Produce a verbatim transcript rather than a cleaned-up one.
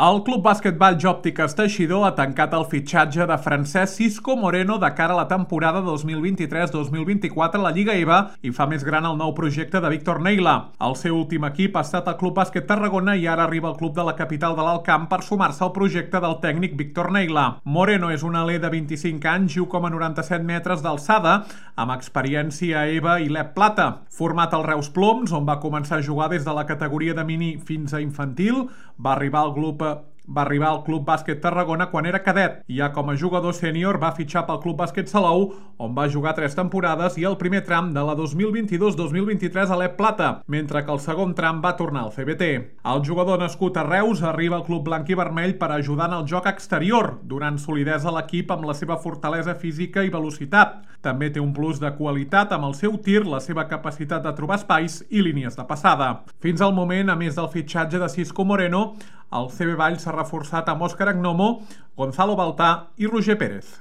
El Club Bàsquetball Jòptiques Teixidor ha tancat el fitxatge de Francesc Cisco Moreno de cara a la temporada dos mil vint-i-tres dos mil vint-i-quatre a la Lliga E V A i fa més gran el nou projecte de Víctor Neila. El seu últim equip ha estat el Club Bàsquet Tarragona i ara arriba al club de la capital de l'Alt Camp per sumar-se al projecte del tècnic Víctor Neila. Moreno és un aler de vint-i-cinc anys i u coma noranta-set metres d'alçada, amb experiència a E V A i l'E P Plata. Format al Reus Ploms, on va començar a jugar des de la categoria de mini fins a infantil, va arribar al grup Va arribar al Club Bàsquet Tarragona quan era cadet i ja com a jugador sènior va fitxar pel Club Bàsquet Salou, on va jugar tres temporades i el primer tram de la dos mil vint-i-dos dos mil vint-i-tres a l'E P Plata, mentre que el segon tram va tornar al C B T. El jugador nascut a Reus arriba al Club Blanc i Vermell per ajudar en el joc exterior, donant solidesa a l'equip amb la seva fortalesa física i velocitat. També té un plus de qualitat amb el seu tir, la seva capacitat de trobar espais i línies de passada. Fins al moment, a més del fitxatge de Cisco Moreno, el C B Valls s'ha reforçat amb Òscar Agnomo, Gonzalo Baltà i Roger Pérez.